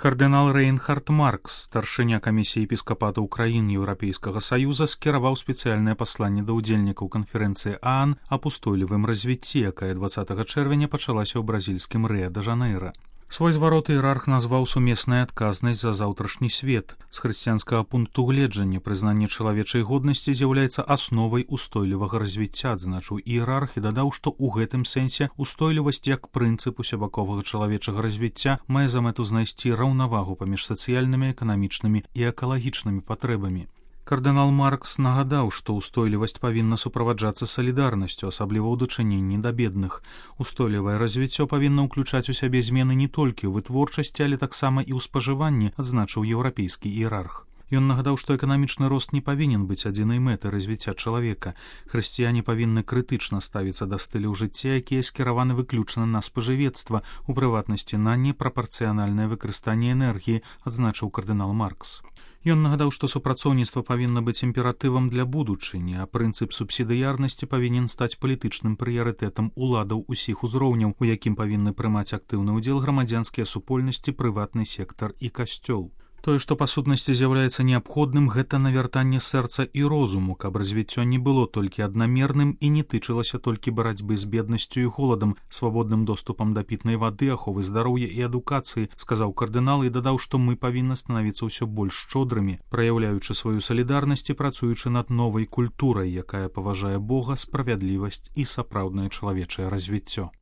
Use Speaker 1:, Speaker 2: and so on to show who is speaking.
Speaker 1: Кардынал Рейнхард Маркс, старшыня камісіі епіскапата ўкраін Еўрапейскага саюза, скіраваў спецыяльнае пасланне да ўдзельнікаў канферэнцыі ААН аб устойлівым развіцці, якая 20 чэрвеня пачалася ў бразільскім Рыа-дэ-Жанэйра. Свой зварот іерарх назваў сумесная адказнасць за заўтрашні свет. З хрысціянскага пункту гледжання прызнанне чалавечай годнасці з'яўляецца асновай устойлівага развіцця, адзначыў іерарх і дадаў, што ў гэтым сэнсе устойлівасць як прынцып усебаковага чалавечага развіцця мае за мэту знайсці раўнавагу паміж сацыяльнымі, эканамічнымі і экалагічнымі патрэбамі. Кардынал Маркс нагадаў, што ўстойлівасць павінна суправаджацца салідарнасцю, асабліва ў дачыненні да бедных. Устойлівае развіццё павінна ўключаць у сябе змены не толькі ў вытворчасці, але таксама і ў спажыванні, адзначыў еўрапейскі іерарх. Ён нагадаў, што эканамічны рост не павінен быць адзінай мэтай развіцця чалавека. Хрысціяне павінны крытычна ставіцца да стыляў жыцця, якія скіраваны выключна на спажывецтва, у прыватнасці на непрапарцыянальнае выкарыстанне энергіі, адзначыў кардынал Маркс. Ён нагадаў, што супрацоўніцтва павінна быць імператывам для будучыні, а прынцып субсідыярнасці павінен стаць палітычным прыярытэтам уладаў усіх узроўняў, у якім павінны прымаць актыўны ўдзел грамадзянскія супольнасці, прыватны сектар і касцёл. Тое, што па сутнасці з'яўляецца неабходным, гэта навяртанне сэрца і розуму, каб развіццё не было толькі аднамерным і не тычылася толькі барацьбы з беднасцю і голадам, свабодным доступам да пітнай вады, аховы здароўя і адукацыі, сказаў кардынал і дадаў, што мы павінны станавіцца ўсё больш шчодрымі, праяўляючы сваю салідарнасць і працуючы над новай культурай, якая паважае Бога, справядлівасць і сапраўднае чалавечае развіццё.